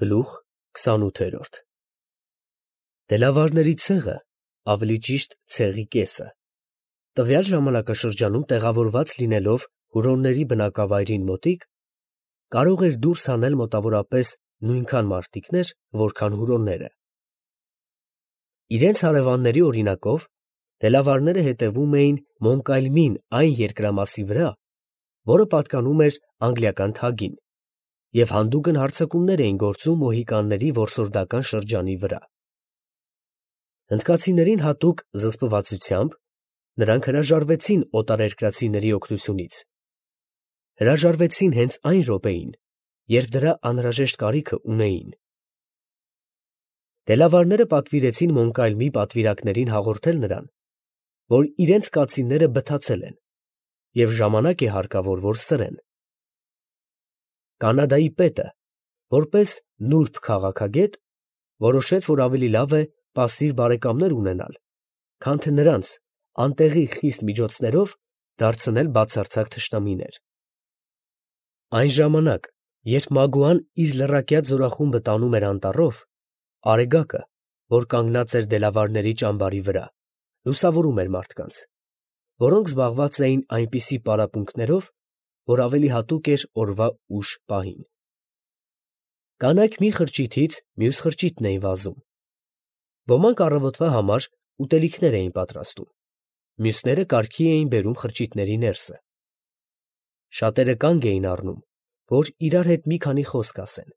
Գլուխ 28 Դելավարների ցեղը, ավելի ճիշտ ցեղի կեսը, տվյալ ժամանակաշրջանում տեղավորված լինելով հուրոնների բնակավայրին մոտիկ, կարող էր դուրս հանել մոտավորապես նույնքան մարտիկներ, որքան հուրոնները։ Իրենց հարևանների օրինակով, դելավարները հետևում էին Մոնկալմին այն երկրամասի վրա, որը պատկանում էր անգլիական թագին, և հանդուգն հարձակումներ էին գործում մոհիկանների որսորդական շրջանի վրա։ Հնդկացիներին հատուկ զսպվածությամբ նրանք հրաժարվեցին օտարերկրացիների օգնությունից, հրաժարվեցին հենց այն րոպեին, երբ դրա անհրաժեշտ կարիքը ունեին։ Դելավարները պատվիրեցին Մոնկալմի պատվիրակներին հաղորդել նրան, որ իրենց կացինները բթացել են, և ժամանակ է հարկավոր, որ սրեն։ Կանադայի պետը, որպես նուրբ քաղաքագետ, որոշեց, որ ավելի լավ է պասիվ բարեկամներ ունենալ, քան թե նրանց անտեղի խիստ միջոցներով դարձնել բացարձակ թշնամիներ։ Այն ժամանակ, երբ Մագուան իր լռակյաց զորախումբը տանում էր անտառով, Արեգակը, որ կանգնած էր դելավարների ճամբարի վրա, լուսավորում էր մարդկանց, որոնք զբաղված էին այնպիսի պարապմունքներով, որ ավելի հատուկ էր օրվա ուշ պահին։ Կանայք մի խրճիթից մյուս խրճիթն էին վազում։ Ոմանք առավոտվա համար ուտելիքներ էին պատրաստում, մյուսները կարգի էին բերում խրճիթների ներսը։ Շատերը կանգ էին առնում, որ իրար հետ մի քանի խոսք ասեն։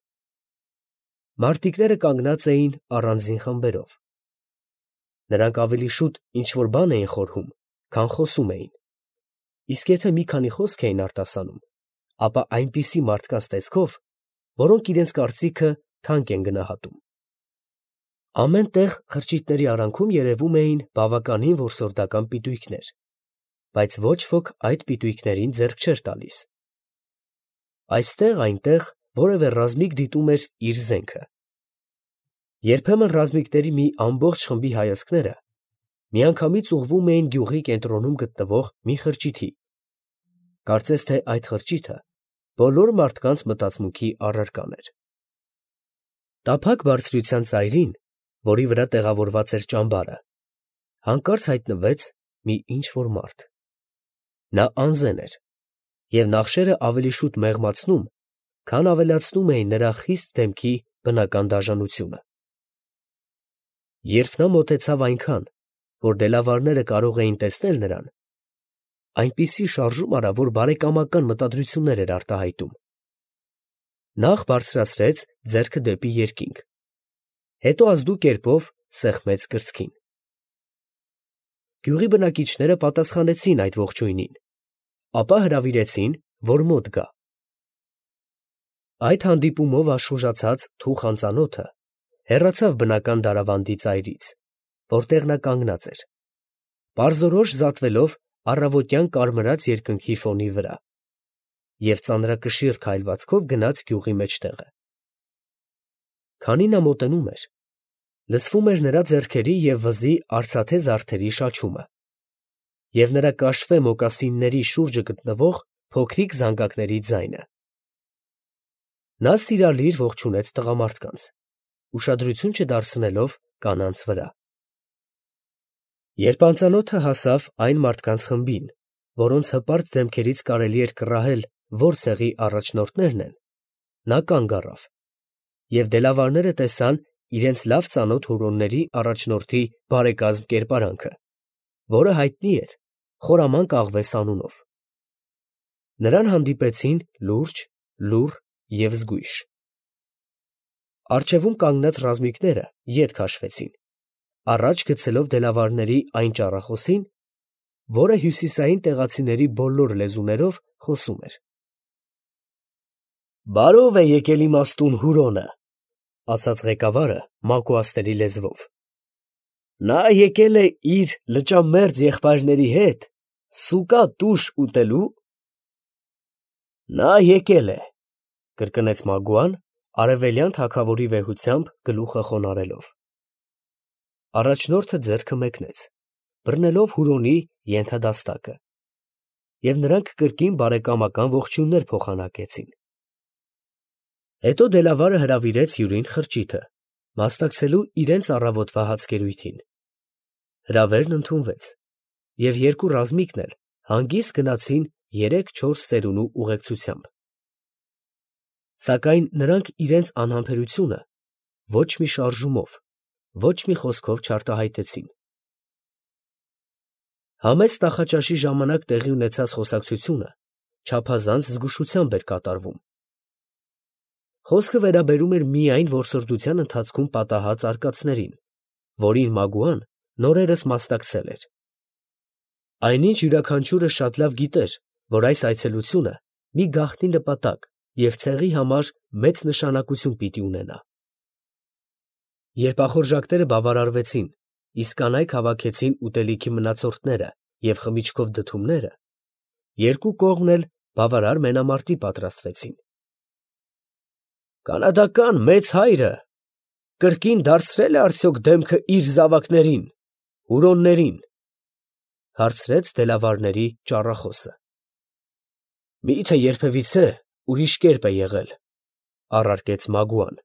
Մարտիկները կանգնած էին առանձին խմբերով։ Նրանք ավելի շուտ ինչ-որ բան էին խորհում, քան խոսում էին, իսկ եթե մի քանի խոսք էին արտասանում, ապա այնպիսի մարդկանց տեսքով, որոնք իրենց կարծիքը թանկ են գնահատում։ Ամեն տեղ խրճիթների արանքում երևում էին բավականին որսորդական պիտույքներ, բայց ոչ ոք այդ պիտույքներին ձեռք չէր տալիս։ Այստեղ-այնտեղ որևէ ռազմիկ դիտում էր իր զենքը։ Երբեմն ռազմիկների մի ամբողջ խմբի հայացքները միանգամից ուղղվում էին գյուղի կենտրոնում գտնվող մի խրճիթի, կարծես թե այդ խրճիթը բոլոր մարդկանց մտածմունքի առարկան էր։ Տափակ բարձրության ծայրին, որի վրա տեղավորված էր ճամբարը, հանկարծ հայտնվեց մի ինչ֊որ մարդ։ Նա անզեն էր, և նախշերը ավելի շուտ մեղմացնում, քան ավելացնում էին նրա խիստ դեմքի բնական դաժանությունը։ Երբ նա մոտեցավ այնքան, որ դելավարները կարող էին տեսնել նրան, այնպիսի շարժում արավ, որ բարեկամական մտադրություններ էր արտահայտում։ Նախ բարձրացրեց ձեռքը դեպի երկինք, հետո ազդու կերպով սեղմեց կրծքին։ Գյուղի բնակիչները պատասխանեցին այդ ողջույնին, ապա հրավիրեցին, որ մոտ գա։ Այդ հանդիպումով աշխուժացած թուխ անծանոթը հեռացավ բնական դարավանդի ծայրից, որտեղ նա կանգնած էր, պարզորոշ զատվելով առավոտյան կարմրած երկնքի ֆոնի վրա, և ծանրակշիռ քայլվածքով գնաց գյուղի մեջտեղը։ Քանի նա մոտենում էր, լսվում էր նրա ձեռքերի և վզի արծաթե զարդերի շաչումը և նրա կաշվե մոկասինների շուրջը գտնվող փոքրիկ զանգակների ձայնը։ Նա սիրալիր ողջունեց տղամարդկանց, ուշադրություն չդարձնելով կանանց վրա։ Երբ անծանոթը հասավ այն մարդկանց խմբին, որոնց հպարտ դեմքերից կարելի էր կռահել, որ ցեղի առաջնորդներն են, նա կանգ առավ, և դելավարները տեսան իրենց լավ ծանոթ հուրոնների առաջնորդի բարեկազմ կերպարանքը, որը հայտնի էր Խորամանկ Աղվես անունով։ Նրան հանդիպեցին լուրջ, լուռ և զգույշ։ Առջևում կանգնած ռազմիկները ետ քաշվեցին, առաջ գցելով դելավարների այն ճառախոսին, որը հյուսիսային տեղացիների բոլոր լեզուներով խոսում էր։ «Բարով է եկել իմաստուն Հուրոնը», ֊ ասաց ղեկավարը մակուասների լեզվով։ «Նա եկել է իր լճամերձ եղբայրների հետ սուկա տուշ ուտելու»։ «Նա եկել է», ֊ կրկնեց Մագուան, արևելյան թագավորի վեհությամբ գլուխը խոնարհելով։ Առաջնորդը ձեռքը մեկնեց, բռնելով Հուրոնի ենթադաստակը, և նրանք կրկին բարեկամական ողջույններ փոխանակեցին։ Հետո Դելավարը հրավիրեց հյուրին խրճիթը, մասնակցելու իրենց առավոտվա հացկերույթին։ Հրավերն ընդունվեց, և երկու ռազմիկն էլ հանգիստ գնացին 3-4 ծերունու ուղեկցությամբ։ Սակայն նրանք իրենց անհամբերությունը ոչ մի շարժումով, ոչ մի խոսքով չարտահայտեցին։ Համեստ նախաճաշի ժամանակ տեղի ունեցած խոսակցությունը չափազանց զգուշությամբ էր կատարվում։ Խոսքը վերաբերում էր միայն որսորդության ընթացքում պատահած արկածներին, որին Մագուան նորերս մասնակցել էր։ Այնինչ յուրաքանչյուրը շատ լավ գիտեր, որ այս այցելությունը մի գաղտնի նպատակ և ցեղի համար մեծ նշանակություն պիտի ունենա։ Երբ ախորժակները բավարարվեցին, իսկ կանայք հավաքեցին ուտելիքի մնացորդները և խմիչքով դդումները, երկու կողմն էլ բավարար մենամարտի պատրաստվեցին։ «Կանադական մեծ հայրը կրկին դարձրել է արդյոք դեմքը իր զավակներին, հուրոններին», ֊ հարցրեց Դելավարների ճառախոսը։ «Մի՞թե երբևիցե ուրիշ կերպ է եղել», ֊ առարկեց Մագուան։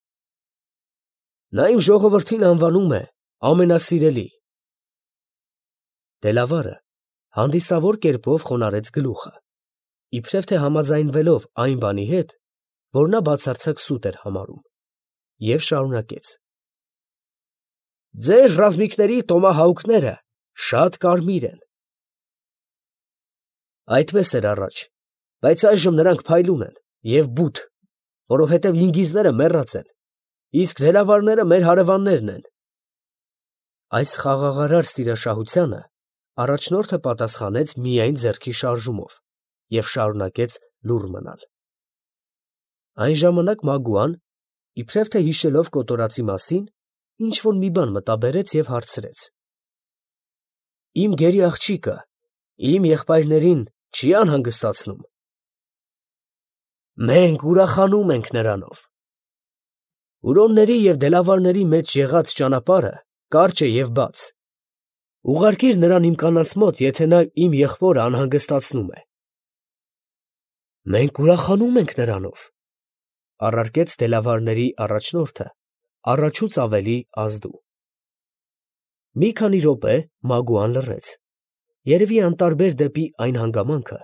«Նա իմ ժողովրդին անվանում է ամենասիրելի»։ Դելավարը հանդիսավոր կերպով խոնարհեց գլուխը, իբրև թե համաձայնվելով այն բանի հետ, որ նա բացարձակ սուտ էր համարում, և շարունակեց. «Ձեր ռազմիկների տոմահաուկները շատ կարմիր են»։ Այդպես էր առաջ, բայց այժմ նրանք փայլուն են և բութ, որովհետև ինգիզները մեռած են, իսկ դելավարները մեր հարևաններն են։ Այս խաղաղարար սիրաշահությանը առաջնորդը պատասխանեց միայն ձեռքի շարժումով և շարունակեց լուռ մնալ։ Այն ժամանակ Մագուան, իբրև թե հիշելով կոտորածի մասին, ինչ֊որ մի բան մտաբերեց և հարցրեց. «Իմ գերի աղջիկը իմ եղբայրներին չի՞ անհանգստացնում»։ «Մենք ուրախանում ենք նրանով։ Հուրոնների և դելավարների մեջ եղած ճանապարհը կարճ է և բաց. ուղարկիր նրան իմ կանանց մոտ, եթե նա իմ եղբորը անհանգստացնում է»։ «Մենք ուրախանում ենք նրանով», ֊ առարկեց դելավարների առաջնորդը առաջուց ավելի ազդու։ Մի քանի րոպե Մագուան լռեց, երևի անտարբեր դեպի այն հանգամանքը,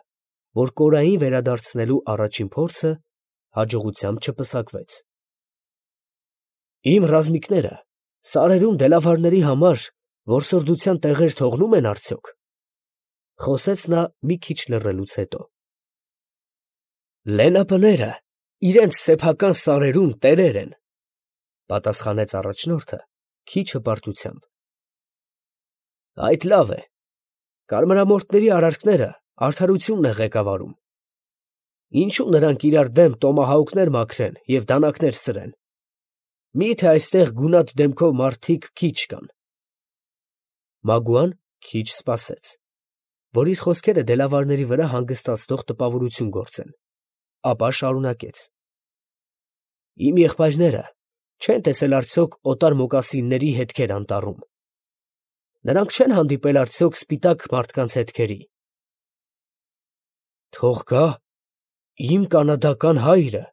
որ կորային վերադարձնելու առաջին փորձը հաջողությամբ չպսակվեց։ «Իմ ռազմիկները սարերում դելավարների համար որսորդության տեղեր թողնո՞ւմ են արդյոք», ֊ խոսեց նա մի քիչ լռելուց հետո։ «Լենապները իրենց սեփական սարերում տերեր են», ֊ պատասխանեց առաջնորդը քիչ հպարտությամբ։ «Այդ լավ է. կարմրամորթների արարքները արդարությունն է ղեկավարում։ Ինչո՞ւ նրանք իրար դեմ տոմահաուկներ մաքրեն և դանակներ սրեն։ Մի՞թե այստեղ գունատ դեմքով մարդիկ քիչ կան»։ Մագուան քիչ սպասեց, որ իր խոսքերը դելավարների վրա հանգստացնող տպավորություն գործեն, ապա շարունակեց. «Իմ եղբայրները չեն տեսել արդյոք օտար֊մոկասինների հետքեր անտառում։ Նրանք չեն հանդիպել արդյոք սպիտակ մարդկանց հետքերի»։ «Թող գա իմ կանադական հայրը», ֊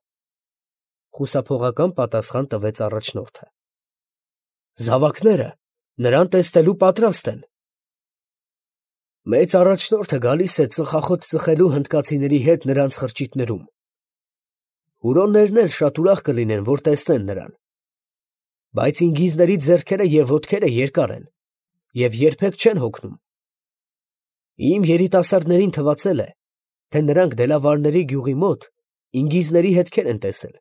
խուսափողական պատասխան տվեց առաջնորդը։ «Զավակները նրան տեսնելու պատրաստ են»։ «Մեծ առաջնորդը գալիս է ծխախոտ ծխելու հնդկացիների հետ նրանց խրճիթներում։ Հուրոններն էլ շատ ուրախ կլինեն, որ տեսնեն նրան։ Բայց ինգիզների ձեռքերը և ոտքերը երկար են և երբեք չեն հոգնում։ Իմ երիտասարդներին թվացել է, թե նրանք դելավարների գյուղի մոտ ինգիզների հետքեր են տեսել։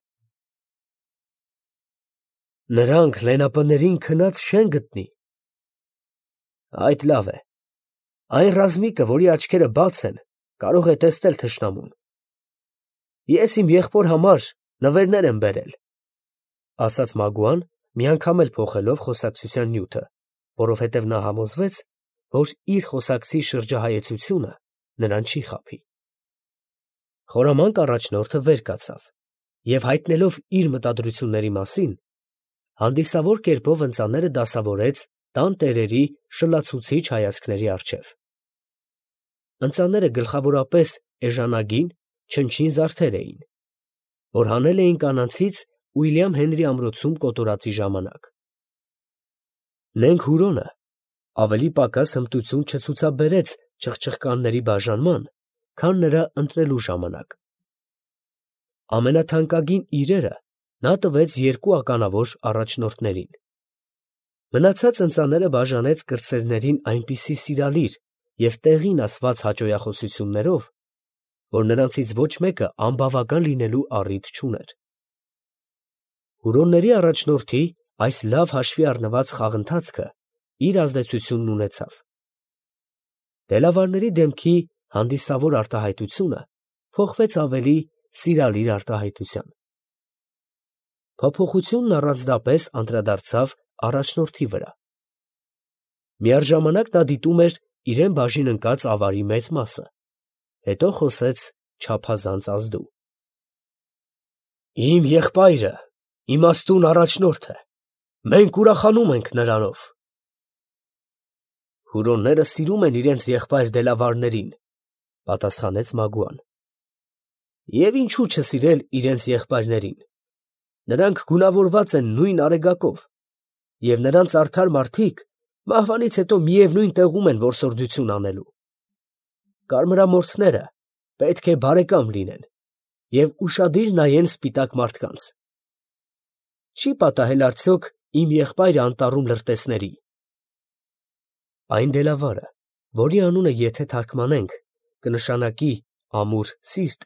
Նրանք լենապներին քնած չեն գտնի»։ «Այդ լավ է. այն ռազմիկը, որի աչքերը բաց են, կարող է տեսնել թշնամուն։ Ես իմ եղբոր համար նվերներ եմ բերել», ֊ ասաց Մագուան, միանգամել փոխելով խոսակցության նյութը, որովհետև նա համոզվեց, որ իր խոսակցի շրջահայեցությունը նրան չի խաբի։ Խորամանկ առաջնորդը վեր կացավ և, հայտնելով իր մտադրությունների մասին, հանդիսավոր կերպով ընծաները դասավորեց տան տերերի շլացուցիչ հայացքների առջև։ Ընծաները գլխավորապես էժանագին, չնչին զարդեր էին, որ հանել էին կանանցից Ուիլյամ Հենրի ամրոցում կոտորածի ժամանակ։ Նենք Հուրոնը ավելի պակաս հմտություն չցուցաբերեց չխչխկանների բաժանման, քան նրա ընտրելու ժամանակ։ Ամենաթանկագին իրերը նա տվեց երկու ականավոր առաջնորդներին։ Մնացած ընծաները բաժանեց կրտսերներին այնպիսի սիրալիր և տեղին ասված հաճոյախոսություններով, որ նրանցից ոչ մեկը անբավական լինելու առիթ չուներ։ Հուրոնների առաջնորդի այս լավ հաշվի առնված խաղընթացքը իր ազդեցությունն ունեցավ։ Դելավարների դեմքի հանդիսավոր արտահայտությունը փոխվեց ավելի սիրալիր արտահայտության։ Փոփոխությունն առանձնապես անդրադարձավ առաջնորդի վրա։ Միաժամանակ նա դիտում էր իրեն բաժին ընկած ավարի մեծ մասը, հետո խոսեց չափազանց ազդու. «Իմ եղբայրը իմաստուն առաջնորդ է, մենք ուրախանում ենք նրանով»։ Հուրոնները սիրում են իրենց եղբայր դելավարներին, պատասխանեց Մագուան։ Եվ ինչու չսիրել իրենց եղբայրներին. նրանք գունավորված են նույն արեգակով, և նրանց արդար մարդիկ մահվանից հետո միևնույն տեղում են որսորդություն անելու։ Կարմրամորթները պետք է բարեկամ լինեն և ուշադիր նայեն սպիտակ մարդկանց։ Չի պատահել արդյոք իմ եղբայրը անտառում լրտեսների։ Այն դելավարը, որի անունը եթե թարգմանենք, կնշանակի ամուր սիրտ,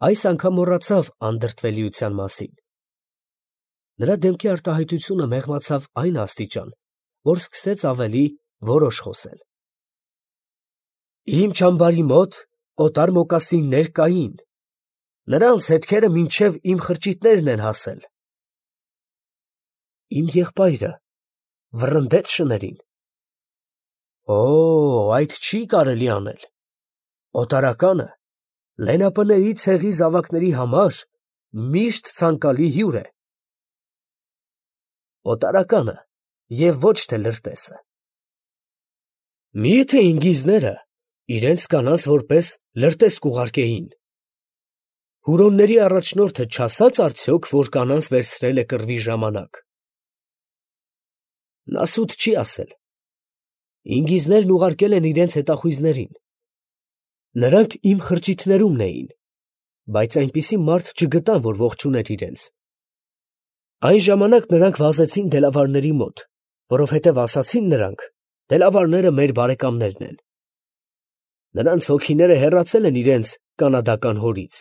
այս անգամ մոռացավ անդրդվելիության մասին։ Նրա դեմքի արտահայտությունը մեղմացավ այն աստիճան, որ սկսեց ավելի որոշ խոսել։ Իմ չամբարի մոտ օտար մոկասիններ կային, նրանց հետքերը մինչև իմ խրճիթներն են հասել։ Իմ եղբայրը վռնդեց շներին։ Օ, այդ չի կարելի անել։ Օտարականը լենապների ցեղի զավակների համար միշտ ցանկալի հյուր է։ Օտարականը և ոչ թե լրտեսը։ Միթե ինգիզները իրենց կանանց որպես լրտես կուղարկեին։ Հուրոնների առաջնորդը չասաց արդյոք, որ կանանց վերցրել է կռվի ժամանակ։ Նա սուտ չի ասել։ Ինգիզներն ուղարկել են իրենց հետախույզներին։ Նրանք իմ խրճիթներումն էին, բայց այնպիսի մարդ չգտան, որ ողջուներ իրենց։ Այն ժամանակ նրանք վազեցին դելավարների մոտ, որովհետև ասացին նրանք. դելավարները մեր բարեկամներն են։ Նրանց հոգիները հեռացել են իրենց կանադական հորից։